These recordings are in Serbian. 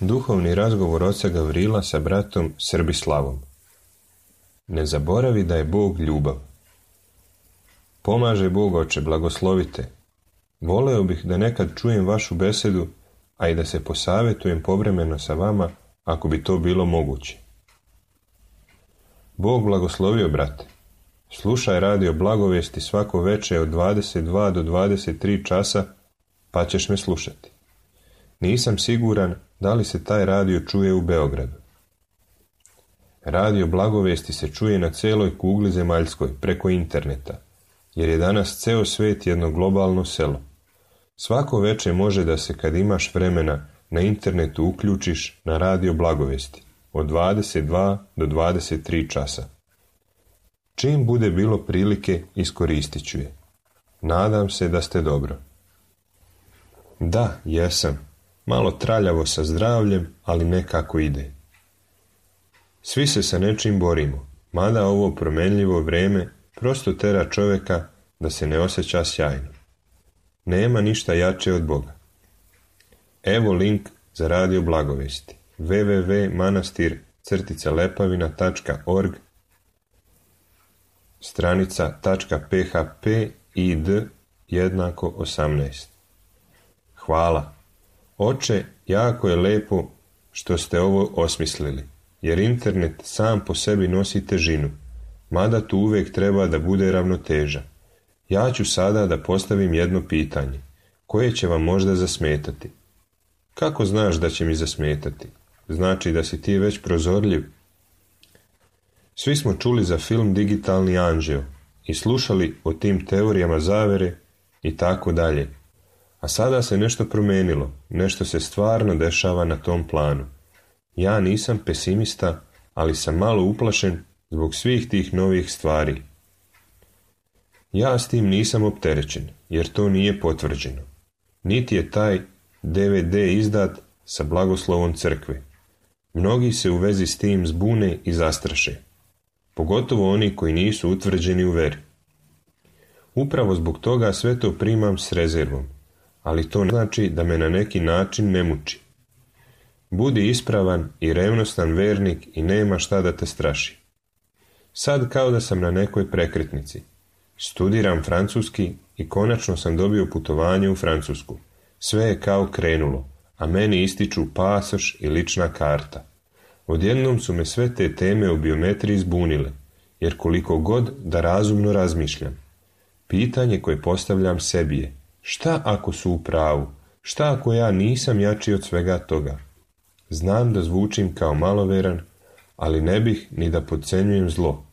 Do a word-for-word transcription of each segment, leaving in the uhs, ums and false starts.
Duhovni razgovor oca Gavrila sa bratom Srbislavom. Ne zaboravi da je Bog ljubav. Pomaže Bog, oče, blagoslovite. Voleo bih da nekad čujem vašu besedu, a i da se posavetujem povremeno sa vama, ako bi to bilo moguće. Bog blagoslovio, brate. Slušaj radio Blagovesti svako veče od dvadeset dva do dvadeset tri časa, pa ćeš me slušati. Nisam siguran da li se taj radio čuje u Beogradu. Radio Blagovesti se čuje na celoj kugli zemaljskoj preko interneta, jer je danas ceo svet jedno globalno selo. Svako veče može da se, kad imaš vremena, na internetu uključiš na radio Blagovesti od dvadeset dva do dvadeset tri časa. Čim bude bilo prilike, iskoristit ću je. Nadam se da ste dobro. Da, jesam. Malo traljavo sa zdravljem, ali nekako ide. Svi se sa nečim borimo, mada ovo promenljivo vreme prosto tera čoveka da se ne osjeća sjajno. Nema ništa jače od Boga. Evo link za radio Blagovesti. w w w tačka manastir crtica lepavina tačka org stranica .php id jednako osamnaest. Hvala. Oče, jako je lepo što ste ovo osmislili, jer internet sam po sebi nosi težinu, mada tu uvijek treba da bude ravnoteža. Ja ću sada da postavim jedno pitanje, koje će vam možda zasmetati. Kako znaš da će mi zasmetati? Znači da si ti već prozorljiv. Svi smo čuli za film Digitalni anđeo i slušali o tim teorijama zavere i tako dalje. A sada se nešto promenilo, nešto se stvarno dešava na tom planu. Ja nisam pesimista, ali sam malo uplašen zbog svih tih novih stvari. Ja s tim nisam opterećen, jer to nije potvrđeno. Niti je taj D V D izdat sa blagoslovom crkve. Mnogi se u vezi s tim zbune i zastraše, pogotovo oni koji nisu utvrđeni u veri. Upravo zbog toga sve to primam s rezervom, ali to ne znači da me na neki način ne muči. Budi ispravan i revnostan vernik i nema šta da te straši. Sad kao da sam na nekoj prekretnici. Studiram francuski i konačno sam dobio putovanje u Francusku. Sve je kao krenulo, a meni ističu pasoš i lična karta. Odjednom su me sve te teme o biometriji zbunile, jer koliko god da razumno razmišljam. Pitanje koje postavljam sebi je, šta ako su u pravu? Šta ako ja nisam jači od svega toga? Znam da zvučim kao maloveran, ali ne bih ni da podcenjujem zlo.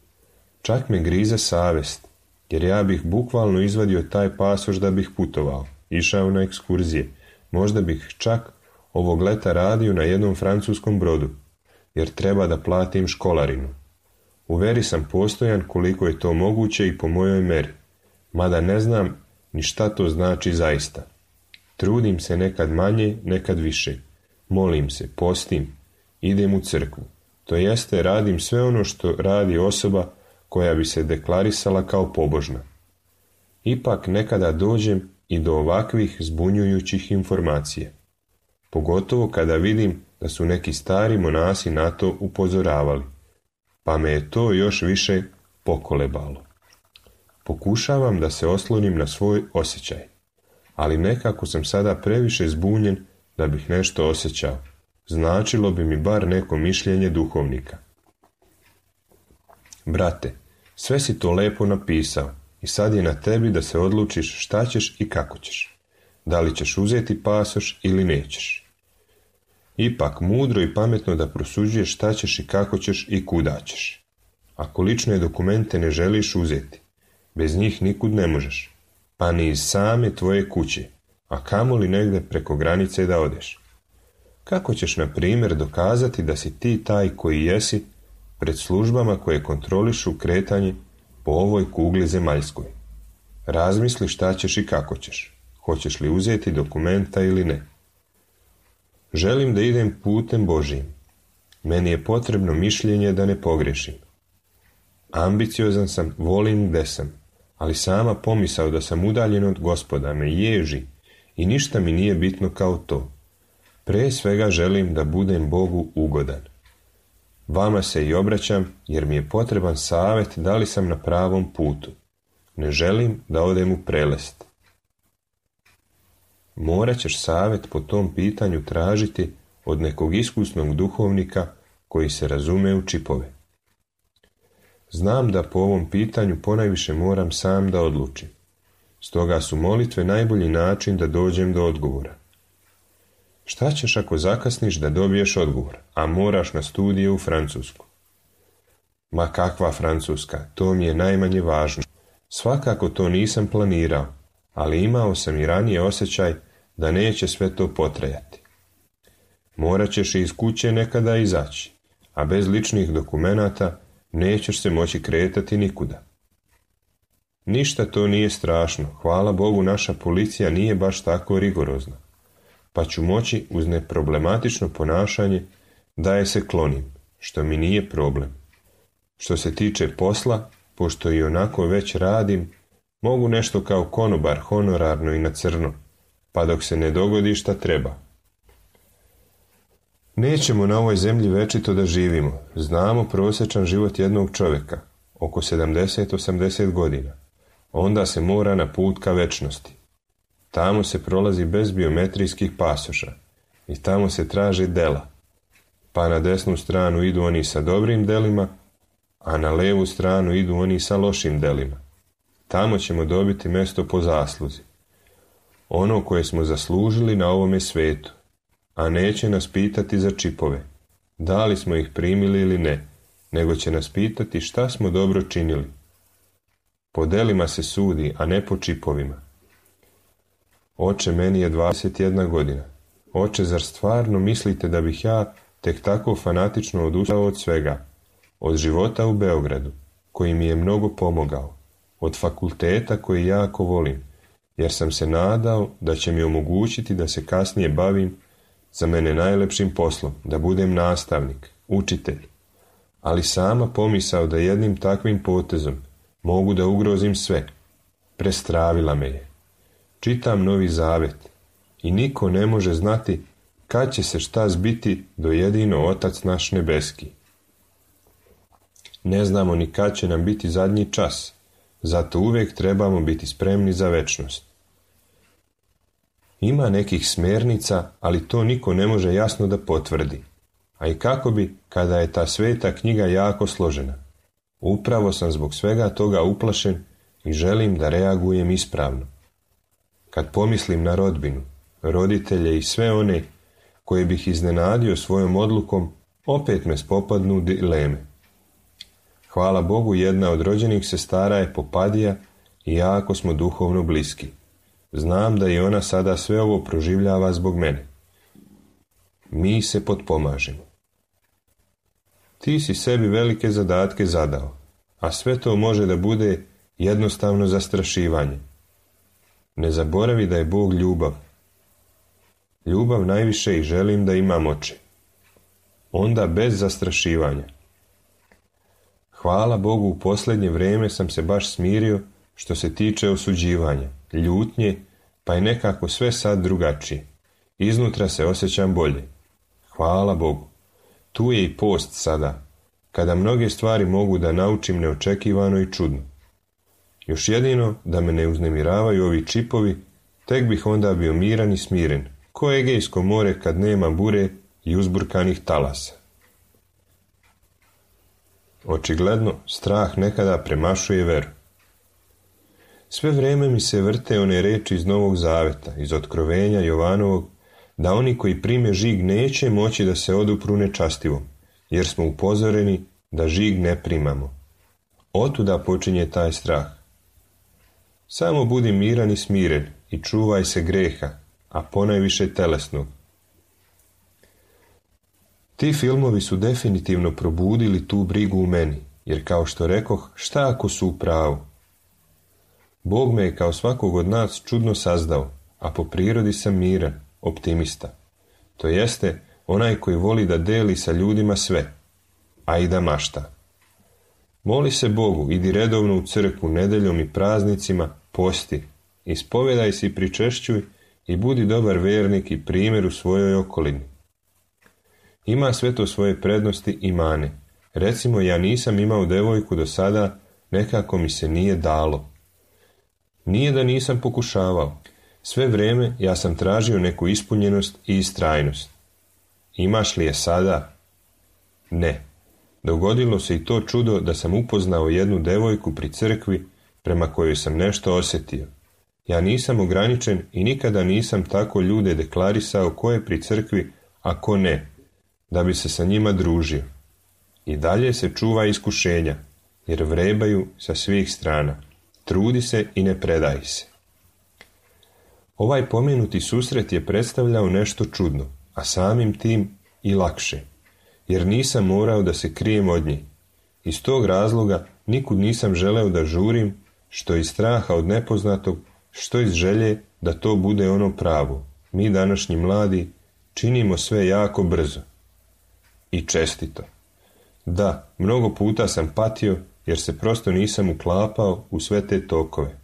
Čak me grize savest, jer ja bih bukvalno izvadio taj pasoš da bih putovao, išao na ekskurzije. Možda bih čak ovog leta radio na jednom francuskom brodu, jer treba da platim školarinu. U veri sam postojan koliko je to moguće i po mojoj meri, mada ne znam ni šta to znači zaista. Trudim se nekad manje, nekad više. Molim se, postim, idem u crkvu. To jeste, radim sve ono što radi osoba koja bi se deklarisala kao pobožna. Ipak nekada dođem i do ovakvih zbunjujućih informacija. Pogotovo kada vidim da su neki stari monasi na to upozoravali, pa me je to još više pokolebalo. Pokušavam da se oslonim na svoj osjećaj, ali nekako sam sada previše zbunjen da bih nešto osjećao. Značilo bi mi bar neko mišljenje duhovnika. Brate, sve si to lepo napisao i sad je na tebi da se odlučiš šta ćeš i kako ćeš. Da li ćeš uzeti pasoš ili nećeš. Ipak mudro i pametno da prosuđuješ šta ćeš i kako ćeš i kuda ćeš. Ako lične dokumente ne želiš uzeti, bez njih nikud ne možeš, pa ni iz same tvoje kuće, a kamoli negde preko granice da odeš. Kako ćeš, na primjer, dokazati da si ti taj koji jesi pred službama koje kontrolišu kretanje po ovoj kugli zemaljskoj? Razmisli šta ćeš i kako ćeš. Hoćeš li uzeti dokumenta ili ne? Želim da idem putem Božijim. Meni je potrebno mišljenje da ne pogrešim. Ambiciozan sam, volim gde sam, ali sama pomisao da sam udaljen od Gospoda me ježi i ništa mi nije bitno kao to. Pre svega želim da budem Bogu ugodan. Vama se i obraćam jer mi je potreban savjet da li sam na pravom putu. Ne želim da odem u prelest. Morat ćeš savjet po tom pitanju tražiti od nekog iskusnog duhovnika koji se razume u čipove. Znam da po ovom pitanju ponajviše moram sam da odlučim. Stoga su molitve najbolji način da dođem do odgovora. Šta ćeš ako zakasniš da dobiješ odgovor, a moraš na studije u Francusku? Ma kakva Francuska, to mi je najmanje važno. Svakako to nisam planirao, ali imao sam i ranije osjećaj da neće sve to potrajati. Morat ćeš iz kuće nekada izaći, a bez ličnih dokumenata nećeš se moći kretati nikuda. Ništa to nije strašno, hvala Bogu naša policija nije baš tako rigorozna, pa ću moći uz neproblematično ponašanje da je se klonim, što mi nije problem. Što se tiče posla, pošto i onako već radim, mogu nešto kao konobar honorarno i na crno, pa dok se ne dogodi šta treba. Nećemo na ovoj zemlji večito da živimo. Znamo prosječan život jednog čovjeka, oko sedamdeset do osamdeset godina. Onda se mora na put ka večnosti. Tamo se prolazi bez biometrijskih pasoša i tamo se traže dela. Pa na desnu stranu idu oni sa dobrim delima, a na levu stranu idu oni sa lošim delima. Tamo ćemo dobiti mjesto po zasluzi. Ono koje smo zaslužili na ovome svijetu. A neće nas pitati za čipove. Da li smo ih primili ili ne, nego će nas pitati šta smo dobro činili. Po delima se sudi, a ne po čipovima. Oče, meni je dvadeset jedna godina. Oče, zar stvarno mislite da bih ja tek tako fanatično odustao od svega? Od života u Beogradu, koji mi je mnogo pomogao. Od fakulteta koji jako volim, jer sam se nadao da će mi omogućiti da se kasnije bavim za mene najlepšim poslom, da budem nastavnik, učitelj. Ali sama pomisao da jednim takvim potezom mogu da ugrozim sve, prestravila me je. Čitam Novi Zavet i niko ne može znati kad će se šta zbiti do jedino Otac naš nebeski. Ne znamo ni kad će nam biti zadnji čas, zato uvijek trebamo biti spremni za večnost. Ima nekih smjernica, ali to niko ne može jasno da potvrdi. A i kako bi, kada je ta sveta knjiga jako složena. Upravo sam zbog svega toga uplašen i želim da reagujem ispravno. Kad pomislim na rodbinu, roditelje i sve one koje bih iznenadio svojom odlukom, opet me spopadnu dileme. Hvala Bogu, jedna od rođenih sestara je Popadija i jako smo duhovno bliski. Znam da i ona sada sve ovo proživljava zbog mene. Mi se potpomažemo. Ti si sebi velike zadatke zadao, a sve to može da bude jednostavno zastrašivanje. Ne zaboravi da je Bog ljubav. Ljubav najviše i želim da imam oči. Onda bez zastrašivanja. Hvala Bogu, u posljednje vrijeme sam se baš smirio što se tiče osuđivanja, ljutnje, pa je nekako sve sad drugačije. Iznutra se osjećam bolje. Hvala Bogu. Tu je i post sada, kada mnoge stvari mogu da naučim neočekivano i čudno. Još jedino da me ne uznemiravaju ovi čipovi, tek bih onda bio miran i smiren, ko Egejsko more kad nema bure i uzburkanih talasa. Očigledno, strah nekada premašuje veru. Sve vrijeme mi se vrte one reči iz Novog Zaveta, iz Otkrovenja Jovanovog, da oni koji prime žig neće moći da se odupru nečastivom, jer smo upozoreni da žig ne primamo. Otuda počinje taj strah. Samo budi miran i smiren i čuvaj se greha, a ponajviše telesnog. Ti filmovi su definitivno probudili tu brigu u meni, jer kao što rekoh, šta ako su u pravu? Bog me je kao svakog od nas čudno sazdao, a po prirodi sam miran, optimista. To jeste, onaj koji voli da deli sa ljudima sve, a i da mašta. Moli se Bogu, idi redovno u crkvu nedeljom i praznicima, posti, ispovedaj se i pričešćuj i budi dobar vernik i primjer u svojoj okolini. Ima sve to svoje prednosti i mane. Recimo, ja nisam imao devojku do sada, nekako mi se nije dalo. Nije da nisam pokušavao. Sve vrijeme ja sam tražio neku ispunjenost i istrajnost. Imaš li je sada? Ne. Dogodilo se i to čudo da sam upoznao jednu devojku pri crkvi prema kojoj sam nešto osjetio. Ja nisam ograničen i nikada nisam tako ljude deklarisao ko je pri crkvi, a ko ne, da bi se sa njima družio. I dalje se čuva iskušenja, jer vrebaju sa svih strana. Trudi se i ne predaj se. Ovaj pomenuti susret je predstavljao nešto čudno, a samim tim i lakše, jer nisam morao da se krijem od nje. Iz tog razloga nikud nisam želeo da žurim, što iz straha od nepoznatog, što iz želje da to bude ono pravo. Mi današnji mladi činimo sve jako brzo. I čestito. Da, mnogo puta sam patio jer se prosto nisam uklapao u sve te tokove.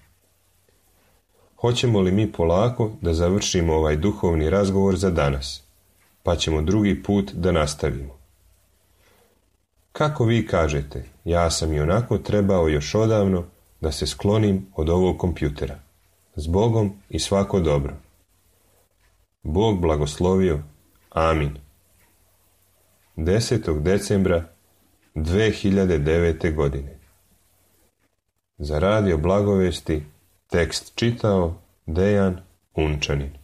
Hoćemo li mi polako da završimo ovaj duhovni razgovor za danas, pa ćemo drugi put da nastavimo. Kako vi kažete, ja sam i onako trebao još odavno da se sklonim od ovog kompjutera. S Bogom i svako dobro. Bog blagoslovio. Amin. desetog decembra dve hiljade devete godine. Za radio Blagovesti tekst čitao Dejan Unčanin.